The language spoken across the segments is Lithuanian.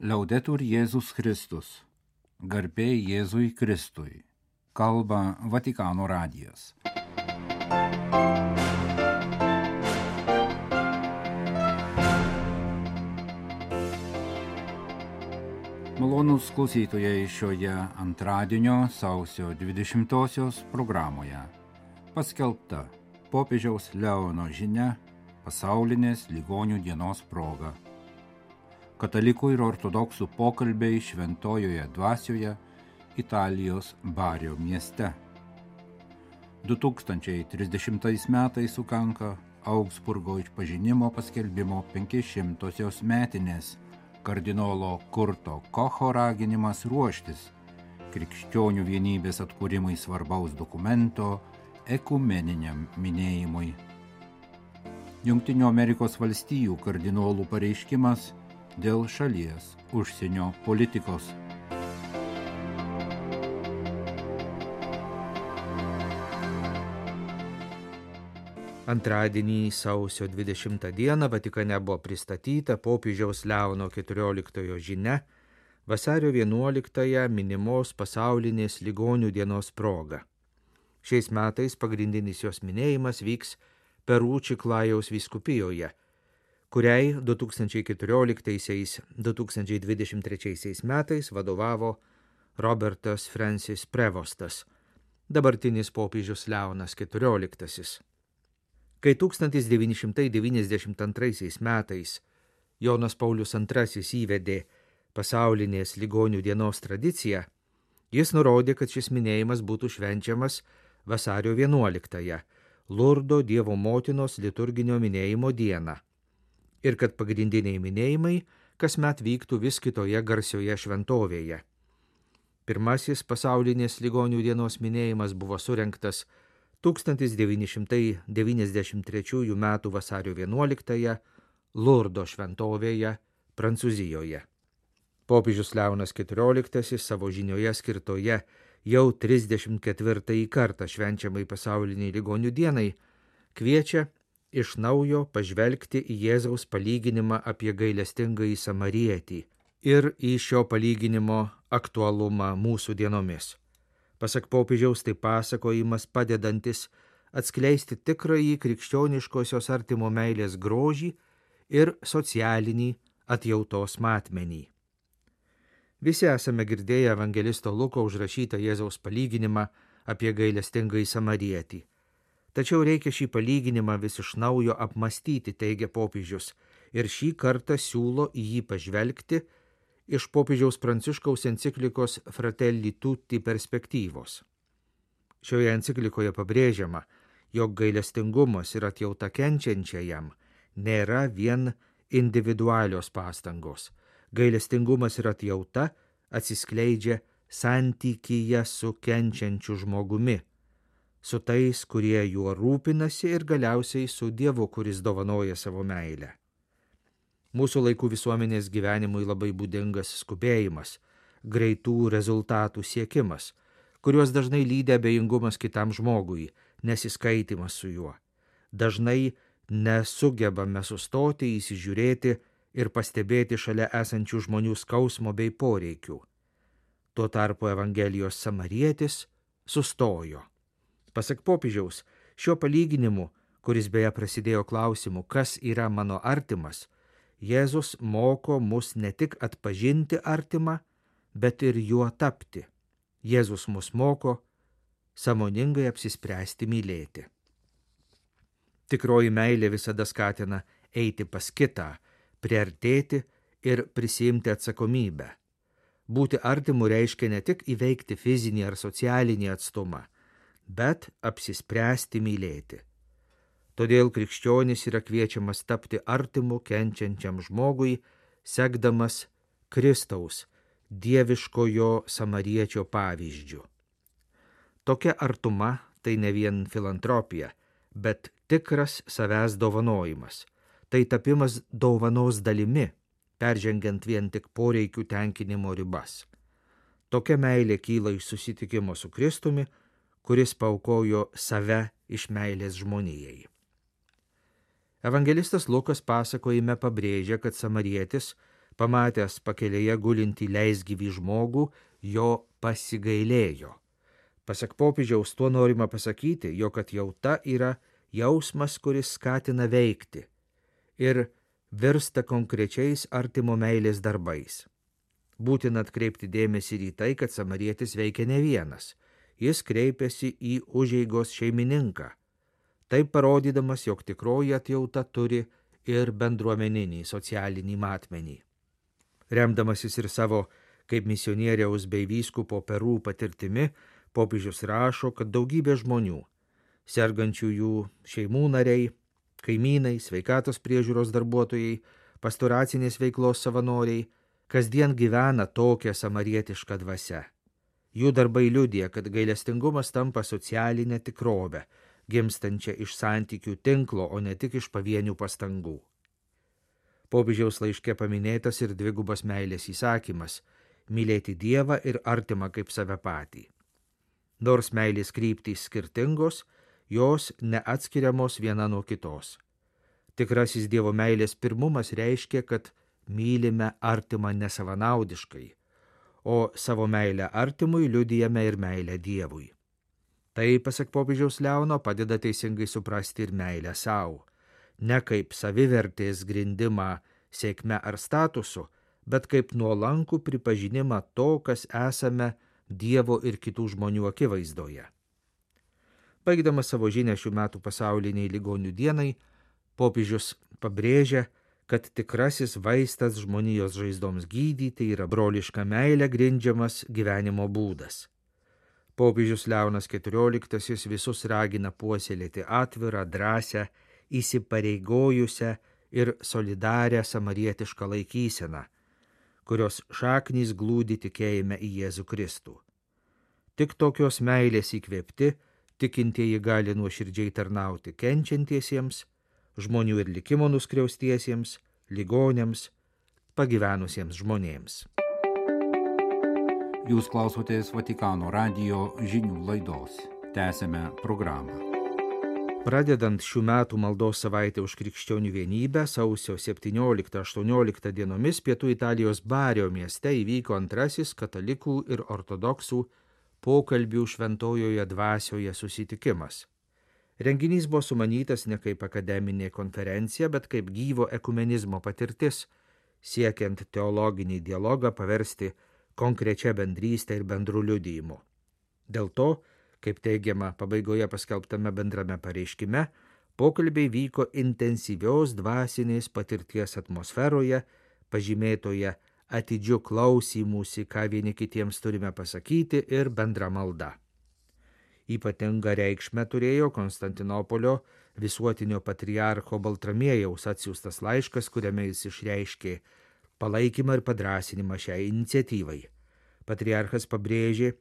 Liaudetur Jėzus Kristus. Garbė Jėzui Kristui. Kalba Vatikano radijas. Malonūs klausytojai šioje antradienio sausio 20-osios programoje paskelbta popiežiaus Leono žinia pasaulinės ligonių dienos proga. Katalikų ir ortodoksų pokalbiai šventojoje dvasioje Italijos Bario mieste. 2030 metais sukanka Augsburgo išpažinimo paskelbimo 500-osios metinės, kardinolo Kurto Kocho raginimas ruoštis krikščionių vienybės atkūrimui svarbaus dokumento ekumeniniam minėjimui. Jungtinių Amerikos valstijų kardinolų pareiškimas dėl šalies užsienio politikos. Antradienį sausio 20 dieną Vatikane buvo pristatyta popiežiaus Leono XIV žinia vasario 11 minimos pasaulinės ligonių dienos proga. Šiais metais pagrindinis jos minėjimas vyks Peru Čiklajaus vyskupijoje, kuriai 2014-2023 metais vadovavo Robertas Francis Prevostas, dabartinis popiežius Leonas XIV. Kai 1992 metais Jonas Paulius II įvedė pasaulinės ligonių dienos tradiciją, jis nurodė, kad šis minėjimas būtų švenčiamas vasario 11, Lurdo Dievo motinos liturginio minėjimo dieną, ir kad pagrindiniai minėjimai kasmet vyktų vis kitoje garsioje šventovėje. Pirmasis pasaulinės ligonių dienos minėjimas buvo surengtas 1993 m. vasario 11 Lurdo šventovėje Prancūzijoje. Popiežius Leonas XIV savo žinioje skirtoje jau 34 kartą švenčiamai pasauliniai ligonių dienai kviečia iš naujo pažvelgti į Jėzaus palyginimą apie gailestingąjį Samarietį ir į šio palyginimo aktualumą mūsų dienomis. Pasak popiežiaus, tai pasakojimas padedantis atskleisti tikrąjį krikščioniškosios artimo meilės grožį ir socialinį atjautos matmenį. Visi esame girdėję evangelisto Luko užrašytą Jėzaus palyginimą apie gailestingąjį Samarietį. Tačiau reikia šį palyginimą vis iš naujo apmastyti, teigia popiežius, ir šį kartą siūlo į jį pažvelgti iš popiežiaus Pranciškaus enciklikos Fratelli Tutti perspektyvos. Šioje enciklikoje pabrėžiama, jog gailestingumas ir atjauta kenčiančiajam nėra vien individualios pastangos. Gailestingumas ir atjauta atsiskleidžia santykyje su kenčiančiu žmogumi, su tais, kurie juo rūpinasi, ir galiausiai su Dievu, kuris dovanoja savo meilę. Mūsų laikų visuomenės gyvenimui labai būdingas skubėjimas, greitų rezultatų siekimas, kuriuos dažnai lydi abejingumas kitam žmogui, nesiskaitimas su juo. Dažnai nesugebame sustoti, įsižiūrėti ir pastebėti šalia esančių žmonių skausmo bei poreikių. Tuo tarpu Evangelijos Samarietis sustojo. Pasak popiežiaus, šiuo palyginimu, kuris beje prasidėjo klausimu, kas yra mano artimas, Jėzus moko mus ne tik atpažinti artimą, bet ir juo tapti. Jėzus mus moko sąmoningai apsispręsti mylėti. Tikroji meilė visada skatina eiti pas kitą, priartėti ir prisiimti atsakomybę. Būti artimu reiškia ne tik įveikti fizinį ar socialinį atstumą, bet apsispręsti mylėti. Todėl krikščionis yra kviečiamas tapti artimu kenčiančiam žmogui, sekdamas Kristaus, dieviškojo Samariečio pavyzdžiu. Tokia artuma tai ne vien filantropija, bet tikras savęs dovanojimas. Tai tapimas dovanos dalimi, peržengiant vien tik poreikių tenkinimo ribas. Tokia meilė kyla iš susitikimo su Kristumi, kuris paaukojo save iš meilės žmonijai. Evangelistas Lukas pasakojime pabrėžia, kad Samarietis Pamatęs pakelėje gulintį leisgyvį žmogų, jo pasigailėjo. Pasak popiežiaus, tuo norima pasakyti, jog atjauta yra jausmas, kuris skatina veikti ir virsta konkrečiais artimo meilės darbais. Būtina atkreipti dėmesį ir į tai, kad samarietis veikia ne vienas. Jis kreipiasi į užeigos šeimininką, taip parodydamas, jog tikroji atjauta turi ir bendruomeninį socialinį matmenį. Remdamasis ir savo kaip misionieriaus bei vyskupo Peru patirtimi, popiežius rašo, kad daugybė žmonių, sergančiųjų šeimų nariai, kaimynai, sveikatos priežiūros darbuotojai, pastoracinės veiklos savanoriai, kasdien gyvena tokią samarietišką dvasią. Jų darbai liudija, kad gailestingumas tampa socialinę tikrovę, gimstančią iš santykių tinklo, o ne tik iš pavienių pastangų. Popiežiaus laiške paminėtas ir dvigubas meilės įsakymas – mylėti Dievą ir artimą kaip save patį. Nors meilės kryptys skirtingos, jos neatskiriamos viena nuo kitos. Tikrasis Dievo meilės pirmumas reiškia, kad mylime artimą nesavanaudiškai, o savo meilę artimui liudijame ir meilę Dievui. Tai, pasak popiežiaus Leono, padeda teisingai suprasti ir meilę savo, ne kaip savivertės grindimą sėkme ar statusu, bet kaip nuolankų pripažinimą to, kas esame Dievo ir kitų žmonių akivaizdoje. Baigdamas savo žinią šių metų pasauliniai ligonių dienai, popiežius pabrėžia, kad tikrasis vaistas žmonijos žaizdoms gydyti yra broliška meilė grindžiamas gyvenimo būdas. Popiežius Leonas XIV visus ragina puoselėti atvirą, drąsią, įsipareigojusią ir solidarią samarietišką laikyseną, kurios šaknys glūdi tikėjime į Jėzų Kristų. Tik tokios meilės įkvėpti, tikintieji gali nuoširdžiai tarnauti kenčiantiesiems, žmonių ir likimo nuskriaustiesiems, ligoniams, pagyvenusiems žmonėms. Jūs klausotės Vatikano radijo žinių laidos. Tęsime programą. Pradedant šių metų maldos savaitę už krikščionių vienybę, sausio 17-18 dienomis pietų Italijos Bario mieste įvyko antrasis katalikų ir ortodoksų pokalbių šventojoje dvasioje susitikimas. Renginys buvo sumanytas ne kaip akademinė konferencija, bet kaip gyvo ekumenizmo patirtis, siekiant teologinį dialogą paversti konkrečia bendrystė ir bendru liudijimu. Dėl to, kaip teigiama pabaigoje paskelbtame bendrame pareiškime, pokalbiai vyko intensyvios dvasinės patirties atmosferoje, pažymėtoje atidžiu klausymųsi, ką vieni kitiems turime pasakyti, ir bendra malda. Ypatingą reikšmę turėjo Konstantinopolio visuotinio patriarcho Baltramiejaus atsiųstas laiškas, kuriame jis išreiškė palaikymą ir padrąsinimą šiai iniciatyvai. Patriarchas pabrėžė,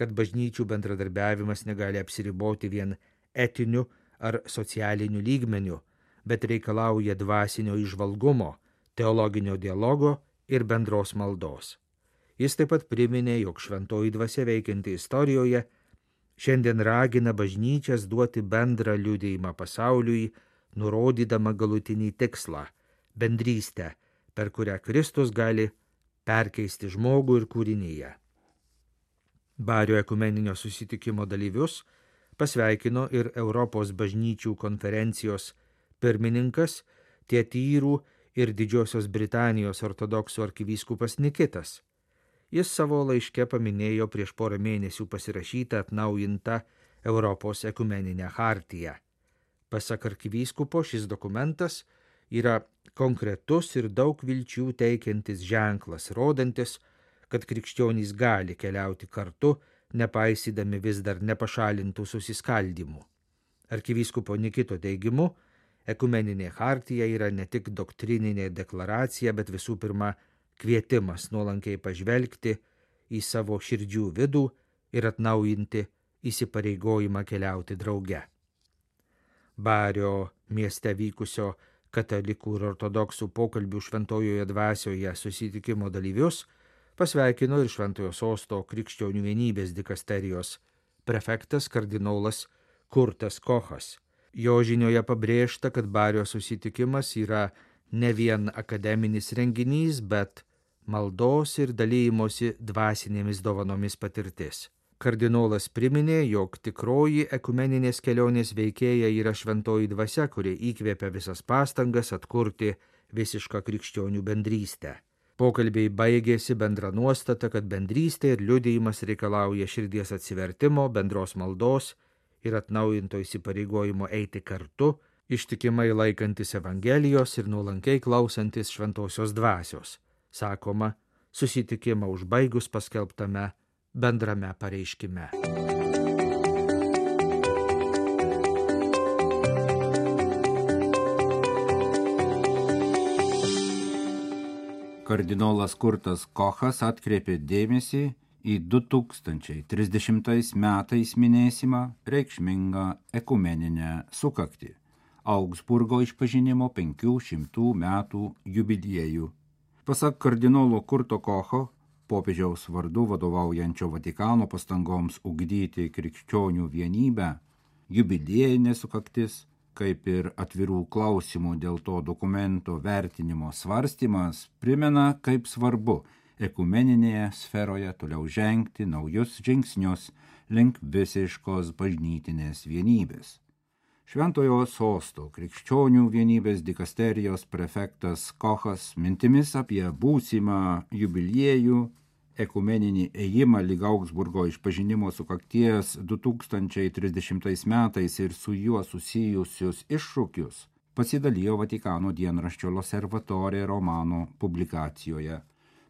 kad bažnyčių bendradarbiavimas negali apsiriboti vien etiniu ar socialiniu lygmeniu, bet reikalauja dvasinio įžvalgumo, teologinio dialogo ir bendros maldos. Jis taip pat priminė, jog šventoji dvasia veikianti istorijoje šiandien ragina bažnyčias duoti bendrą liudijimą pasauliui, nurodydama galutinį tikslą – bendrystę, per kurią Kristus gali perkeisti žmogų ir kūrinyje. Bario ekumeninio susitikimo dalyvius pasveikino ir Europos bažnyčių konferencijos pirmininkas, Tietyrų ir Didžiosios Britanijos ortodoksų arkivyskupas Nikitas. Jis savo laiške paminėjo prieš porą mėnesių pasirašytą atnaujintą Europos ekumeninę chartiją. Pasak arkivyskupo, šis dokumentas yra konkretus ir daug vilčių teikiantis ženklas, rodantis, kad krikščionys gali keliauti kartu, nepaisydami vis dar nepašalintų susiskaldymų. Arkivyskupo Nikito teigimu, ekumeninė chartija yra ne tik doktrininė deklaracija, bet visų pirma kvietimas nuolankiai pažvelgti į savo širdžių vidų ir atnaujinti įsipareigojimą keliauti drauge. Bario mieste vykusio katalikų ir ortodoksų pokalbių šventojoje dvasioje susitikimo dalyvius pasveikino ir Šventojo Sosto krikščionių vienybės dikasterijos prefektas kardinolas Kurtas Kochas. Jo žinioje pabrėžta, kad Bario susitikimas yra ne vien akademinis renginys, bet maldos ir dalymosi dvasinėmis dovanomis patirtis. Kardinolas priminė, jog tikroji ekumeninės kelionės veikėja yra šventoji dvasia, kuri įkvėpia visas pastangas atkurti visišką krikščionių bendrystę. Pokalbiai baigėsi bendra nuostata, kad bendrystė ir liudijimas reikalauja širdies atsivertimo, bendros maldos ir atnaujinto įsipareigojimo eiti kartu, ištikimai laikantis Evangelijos ir nuolankiai klausantis šventosios dvasios, sakoma, susitikimą užbaigus paskelbtame bendrame pareiškime. Kardinolas Kurtas Kochas atkreipė dėmesį į 2030 metais minėsimą reikšmingą ekumeninę sukaktį – Augsburgo išpažinimo 500 metų jubiliejų. Pasak kardinolo Kurto Kocho, popiežiaus vardu vadovaujančio Vatikano pastangoms ugdyti krikščionių vienybę, jubiliejinė sukaktis, kaip ir atvirų klausimų dėl to dokumento vertinimo svarstymas, primena, kaip svarbu ekumeninėje sferoje toliau žengti naujus žingsnius link visiškos bažnytinės vienybės. Šventojo sosto krikščionių vienybės dikasterijos prefektas Kochas mintimis apie būsimą jubiliejų, ekumeninį ėjimą lyg Augsburgo išpažinimo sukakties 2030 metais ir su juo susijusius iššūkius pasidalijo Vatikano dienraščio L'Osservatore romano publikacijoje.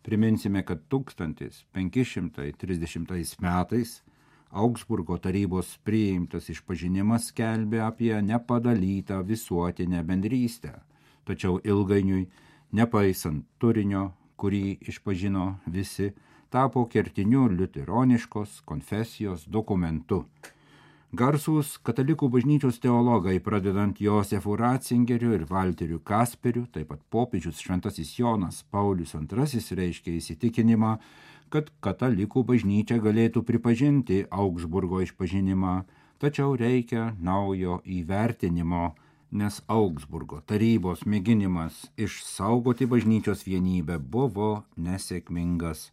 Priminsime, kad 1530 metais Augsburgo tarybos priimtas išpažinimas skelbė apie nepadalytą visuotinę bendrystę, tačiau ilgainiui, nepaisant turinio, kurį išpažino visi, tapo kertiniu liuteroniškos konfesijos dokumentu. Garsūs katalikų bažnyčios teologai, pradedant Josefu Ratzingeriu ir Valteriu Kasperiu, taip pat popiežius šventasis Jonas Paulius II reiškė įsitikinimą, kad katalikų bažnyčia galėtų pripažinti Augsburgo išpažinimą, tačiau reikia naujo įvertinimo, nes Augsburgo tarybos mėginimas išsaugoti bažnyčios vienybę buvo nesėkmingas.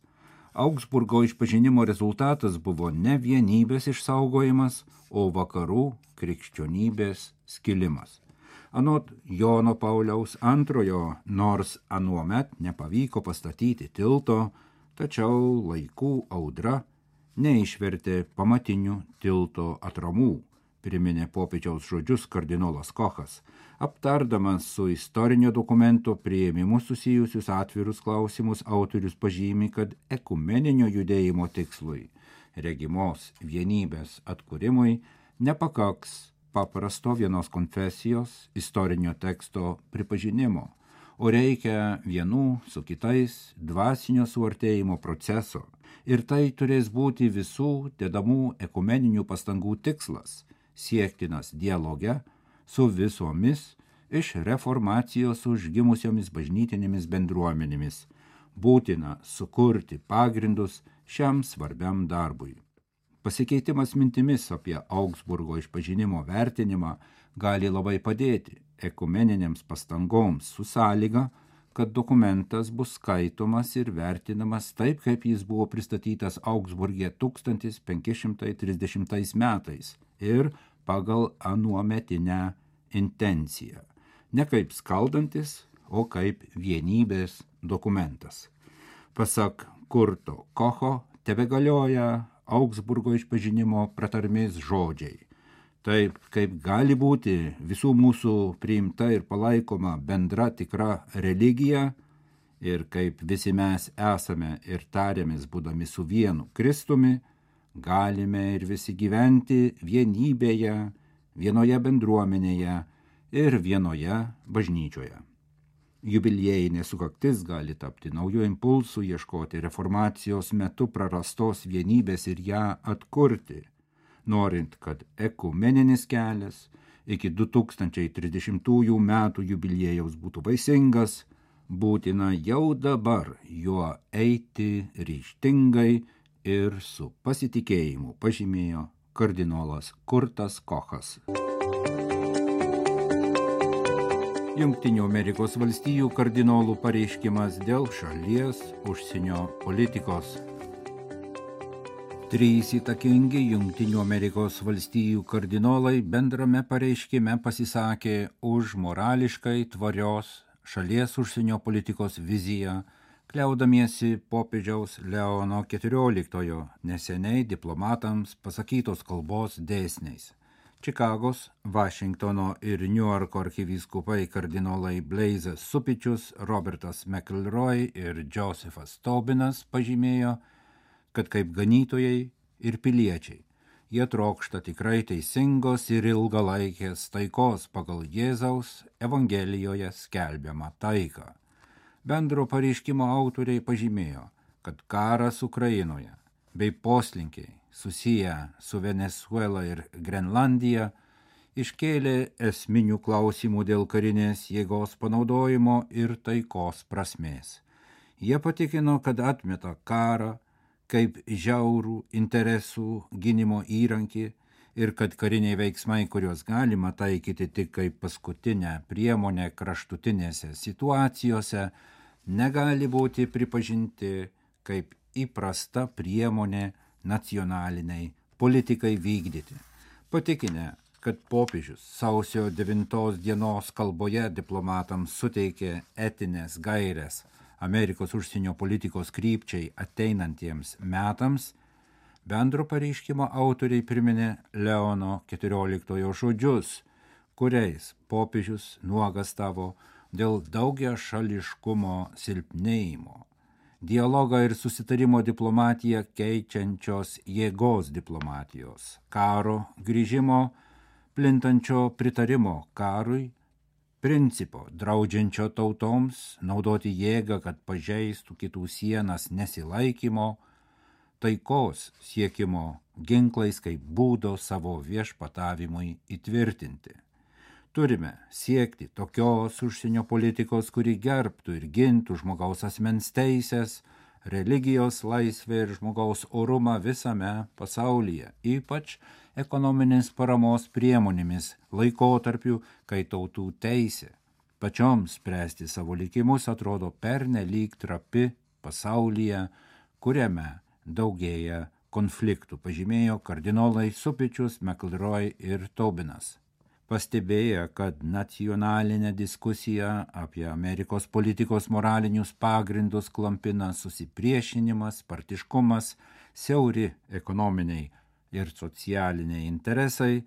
Augsburgo išpažinimo rezultatas buvo ne vienybės išsaugojimas, o vakarų krikščionybės skilimas. Anot Jono Pauliaus II, nors anuomet nepavyko pastatyti tilto, tačiau laikų audra neišvertė pamatinių tilto atramų, priminė popiežiaus žodžius kardinolas Kochas, aptardamas su istorinio dokumento priėmimu susijusius atvirus klausimus. Autorius pažymi, kad ekumeninio judėjimo tikslui, regimos vienybės atkūrimui, nepakaks paprasto vienos konfesijos istorinio teksto pripažinimo, o reikia vienų su kitais dvasinio suartėjimo proceso, ir tai turės būti visų dedamų ekumeninių pastangų tikslas, siektinas dialoge su visomis iš reformacijos užgimusiomis bažnytinėmis bendruomenėmis. Būtina sukurti pagrindus šiam svarbiam darbui. Pasikeitimas mintimis apie Augsburgo išpažinimo vertinimą gali labai padėti ekumeninėms pastangoms su sąlyga, kad dokumentas bus skaitomas ir vertinamas taip, kaip jis buvo pristatytas Augsburge 1530 metais ir pagal anuometinę intenciją. Ne kaip skaldantis, o kaip vienybės dokumentas. Pasak Kurto Kocho, tebegalioja Augsburgo išpažinimo pratarmės žodžiai. Taip, kaip gali būti visų mūsų priimta ir palaikoma bendra tikra religija, ir kaip visi mes esame ir tariamės būdami su vienu Kristumi, galime ir visi gyventi vienybėje, vienoje bendruomenėje ir vienoje bažnyčioje. Jubiliejinė sukaktis gali tapti naujų impulsų ieškoti reformacijos metu prarastos vienybės ir ją atkurti, norint, kad ekumeninis kelias iki 2030 metų jubiliejaus būtų vaisingas, būtina jau dabar juo eiti ryžtingai ir su pasitikėjimu, pažymėjo kardinolas Kurtas Kochas. Jungtinių Amerikos valstijų kardinolų pareiškimas dėl šalies užsienio politikos. 3 įtakingi Jungtinių Amerikos valstijų kardinolai bendrame pareiškime pasisakė už morališkai tvarios šalies užsienio politikos viziją, kliaudamiesi popiežiaus Leono XIV neseniai diplomatams pasakytos kalbos dėsniais. Čikagos, Vašingtono ir Niujorko arkivyskupai kardinolai Blaisas Supičius, Robertas McElroy ir Josephas Taubinas pažymėjo, kad kaip ganytojai ir piliečiai jie trokšta tikrai teisingos ir ilgalaikės taikos pagal Jėzaus Evangelijoje skelbiamą taiką. Bendro pareiškimo autoriai pažymėjo, kad karas Ukrainoje bei poslinkiai susiję su Venezuela ir Grenlandija iškėlė esminių klausimų dėl karinės jėgos panaudojimo ir taikos prasmės. Jie patikino, kad atmeta karą kaip žiaurų interesų gynimo įrankį ir kad kariniai veiksmai, kuriuos galima taikyti tik kaip paskutinę priemonę kraštutinėse situacijose, negali būti pripažinti kaip įprasta priemonė nacionaliniai politikai vykdyti. Patikinę, kad popiežius sausio 9 dienos kalboje diplomatams suteikė etinės gairės Amerikos užsienio politikos krypčiai ateinantiems metams, bendro pareiškimo autoriai priminė Leono XIV žodžius, kuriais popiežius nuogastavo dėl daugiašališkumo silpnėjimo, dialogą ir susitarimo diplomatiją keičiančios jėgos diplomatijos, karo grįžimo, plintančio pritarimo karui, principo draudžiančio tautoms naudoti jėgą, kad pažeistų kitų sienas nesilaikymo, taikos siekimo ginklais kaip būdo savo viešpatavimui įtvirtinti. Turime siekti tokios užsienio politikos, kuri gerbtų ir gintų žmogaus asmens teisės, religijos laisvę ir žmogaus orumą visame pasaulyje, ypač ekonominės paramos priemonėmis laikotarpiu, kai tautų teisė pačioms spręsti savo likimus atrodo pernelyg trapi pasaulyje, kuriame daugėja konfliktų, pažymėjo kardinolai Supičius, McElroy ir Taubinas. Pastebėję, kad nacionalinė diskusija apie Amerikos politikos moralinius pagrindus klampina susipriešinimas, partiškumas, siauri ekonominiai ir socialiniai interesai,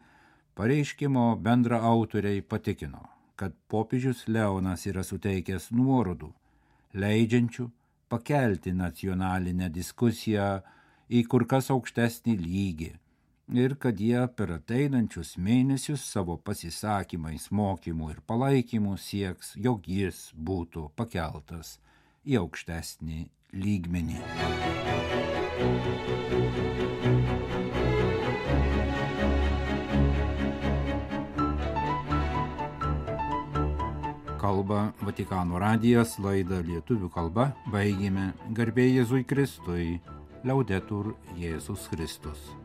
pareiškimo bendra autoriai patikino, kad popiežius Leonas yra suteikęs nuorodų, leidžiančių pakelti nacionalinę diskusiją į kur kas aukštesnį lygį ir kad jie per ateinančius mėnesius savo pasisakymais, mokymų ir palaikymų sieks, jog jis būtų pakeltas į aukštesnį lygmenį. Kalba Vatikano radijas, laidą lietuvių kalba baigėme. Garbė Jėzui Kristui, Liaudetur Jėzus Kristus.